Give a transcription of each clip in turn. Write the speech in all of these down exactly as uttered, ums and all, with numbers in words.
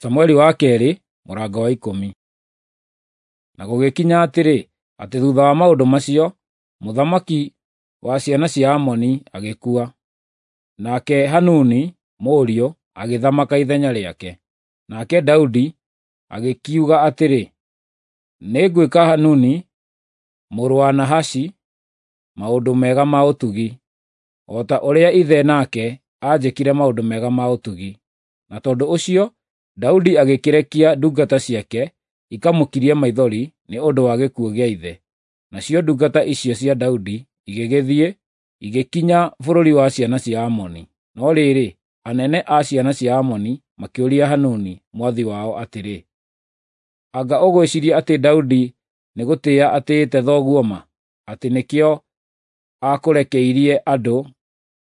Samueli wa kerĩ mũrango wa ikũmi. Na gũgĩkinya atĩrĩ, atĩ thutha wa maũndũ macio, mũthamaki wa ciana cia Amoni agĩkua, nake Hanuni mũriũ agĩthamaka ithenya rĩake. Nake Daudi agĩkiuga atĩrĩ, nĩngwĩka Hanuni mũrũ wa Nahashi maũndũ mega ma ũtugi, o ta ũrĩa ithe nake aanjĩkire maũndũ mega ma ũtugi. Na tondũ ũcio Daudi agĩkĩrekia ndungata ciake ikamũkirie maithori nĩ ũndũ wa gĩkuũ gĩa ithe. Nacio ndungata icio cia Daudi igĩgĩthiĩ, igĩkinya bũrũri wa ciana cia Amoni. No rĩrĩ, anene a ciana cia Amoni makĩũria Hanuni mwathi wao atĩrĩ, anga ũgwĩciiria atĩ Daudi nĩ gũtĩĩa atĩĩte thoguo ma, atĩ nĩkĩo akũrekeirie andũ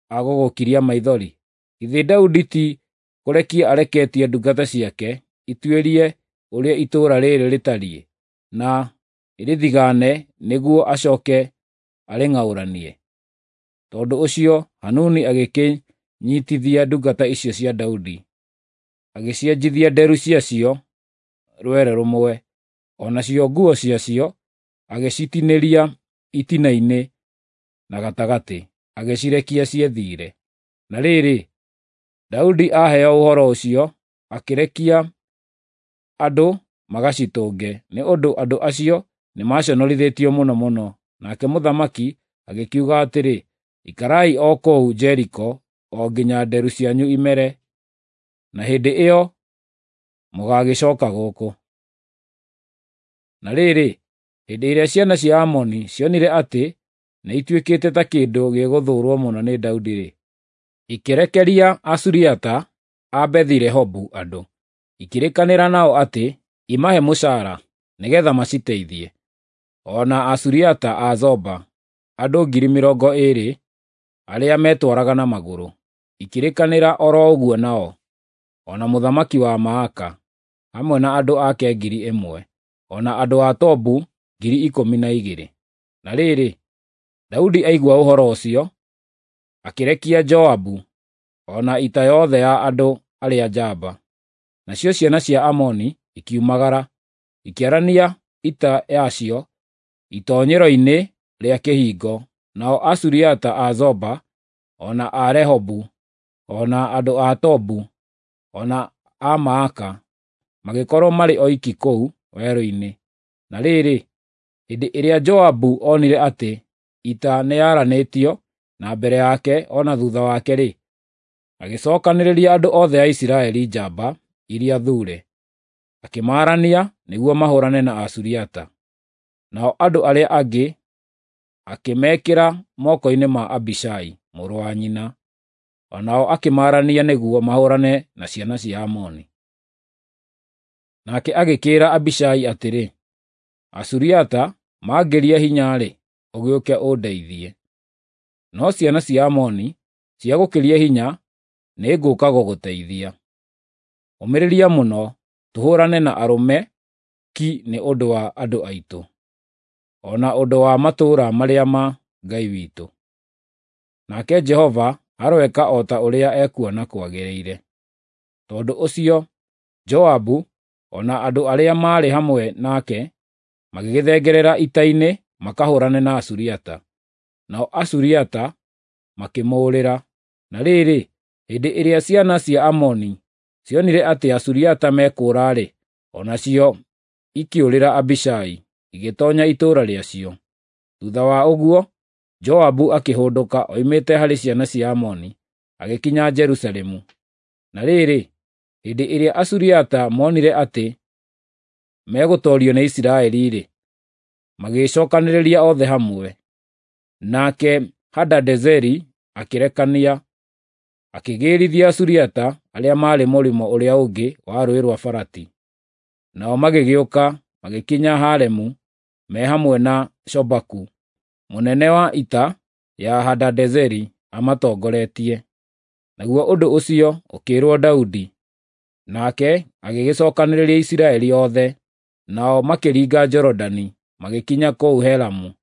a gũgũkiria maithori? Githĩ Daudi ti kũrekia areketie ndungata ciake ituĩrie ũrĩa itũũra rĩrĩ rĩtariĩ, na ĩrĩthigaane nĩguo acooke arĩng'aũranie?" Tondũ ũcio Hanuni agĩkĩnyiitithia ndungata icio cia Daudi, agĩcienjithia nderu ciacio rwere rũmwe, o nacio nguo ciacio agĩcitinĩria itina-inĩ na gatagatĩ, agĩcirekia ciĩthiĩre. Na rĩrĩ, Daudi aheo ũhoro ũcio, akĩrekia andũ magacitũnge, nĩ ũndũ andũ acio nĩmaconorithĩtio mũno mũno. Nake mũthamaki agĩkiuga atĩrĩ, ikarai o kũu Jeriko o nginya nderu cianyu imere, na hĩndĩ ĩyo mũgaagĩcooka gũkũ. Na rĩrĩ, hĩndĩ ĩrĩa ciana cia Amoni cionire atĩ nĩituĩkĩte ta kĩndũ gĩgũthũũrwo mũno nĩ Daudi-rĩ, ikĩrekeria Asuriata a Bethi-Rehobu andũ, ikĩrĩkanĩra nao atĩ imahe mũcaara nĩgeetha maciteithie, o na Asuriata a Zoba andũ ngiri mĩrongo ĩĩrĩ arĩa metwaraga na magũrũ, ikĩrĩkanĩra o ro ũguo nao, o na mũthamaki wa Maaka, hamwe na andũ ake ngiri ĩmwe, o na andũ a Tobu ngiri ikũmi na igĩrĩ. Na rĩrĩ, Daudi aigua ũhoro ũcio, akĩrekia Joabu o na ita yothe ya andũ arĩa njamba. Nacio ciana cia Amoni ikiumagara, ikĩarania ita yacio itoonyero-inĩ rĩa kĩhingo, nao Asuriata a Zoba, o na a Rehobu, o na andũ a Tobu, o na a Maaka magĩkorwo marĩ oiki kũu werũ-inĩ. Na rĩrĩ, hĩndĩ ĩrĩa Joabu onire atĩ ita nĩyaranĩtio na mbere yake o na thuutha wake-rĩ, agĩcookanĩrĩria andũ othe a Isiraeli njamba iria thuure, akĩmaarania nĩguo mahũũrane na Asuriata. Nao andũ arĩa angĩ akĩmekĩra moko-inĩ ma Abishai mũrũ wa nyina, o nao akĩmaarania nĩguo mahũũrane na ciana cia Amoni. Nake agĩkĩĩra Abishai atĩrĩ, Asuriata mangĩria hinya-rĩ, ũgĩũke ũndeithie. No ciana cia Amoni ciagũkĩria hinya, nĩngũũka gũgũteithia. Ũmĩrĩria mũno tũhũũrane na arũme ki nĩ ũndũ wa andũ aitũ, o na ũndũ wa matũũra marĩa ma Ngai witũ. Nake Jehova aroeka o ta ũrĩa ekuona kwagĩrĩire. Tondũ ũcio Joabu o na andũ arĩa maarĩ hamwe nake magĩgĩthengerera ita-inĩ makahũũrane na Asuriata. Nao Asuriata makĩmũũrĩra. Na rĩrĩ, hĩndĩ ĩrĩa ciana cia Amoni cionire atĩ Asuriata mekũũra-rĩ, o nacio ikĩũrĩra Abishai, igĩtoonya itũũra rĩacio. Thuutha wa ũguo, Joabu akĩhũndũka oimĩte harĩ ciana cia Amoni, agĩkinya Jerusalemu. Na rĩrĩ, hĩndĩ ĩrĩa Asuriata moonire atĩ megũtoorio nĩ Isiraeli-rĩ, magĩĩcookanĩrĩria othe hamwe. Nake Hadadezeri akĩrekania, akĩgĩĩrithia Asuriata arĩa maarĩ mũrĩmo ũrĩa ũngĩ wa Rũũĩ rwa Farati. Nao magĩgĩũka magĩkinya Haremu me hamwe na Shobaku, mũnene wa ita ya Hadadezeri amatongoretie. Naguo ũndũ ũcio ũkĩĩrwo Daudi, nake agĩgĩcookanĩrĩria Isiraeli othe, nao makĩringa Jorodani magĩkinya kũu Helamu.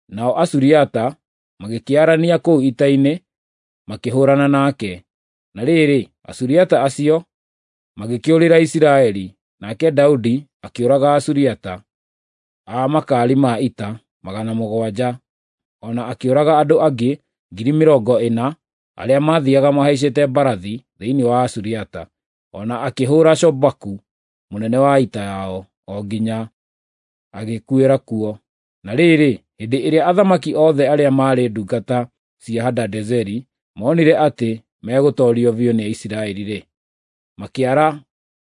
Nao Asuriata magĩkĩarania kũu ita-inĩ makĩhũũrana nake. Na rĩrĩ, Asuriata acio magĩkĩũrĩra Isiraeli, nake Daudi akĩũraga Asuriata a makaari ma ita magana mũgwanja, o na akĩũraga andũ angĩ ngiri mĩrongo ĩna arĩa maathiaga mahaicĩte mbarathi thĩinĩ wa Asuriata, o na akĩhũra Shobaku mũnene wa ita yao, o nginya agĩkuĩra kuo. Na rĩrĩ, hĩndĩ ĩrĩa athamaki othe arĩa maarĩ ndungata cia Hadadezeri monire atĩ megũtoorio biũ nĩ Isiraeli-rĩ, makĩara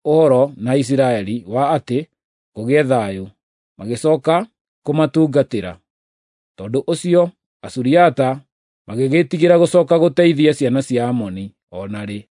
ũhoro na Isiraeli wa atĩ kũgĩe thayũ, magĩcoka kũmatungatĩra. Tondũ ũcio Asuriata magĩgĩĩtigĩra gũcoka gũteithia ciana cia Amoni o na rĩ.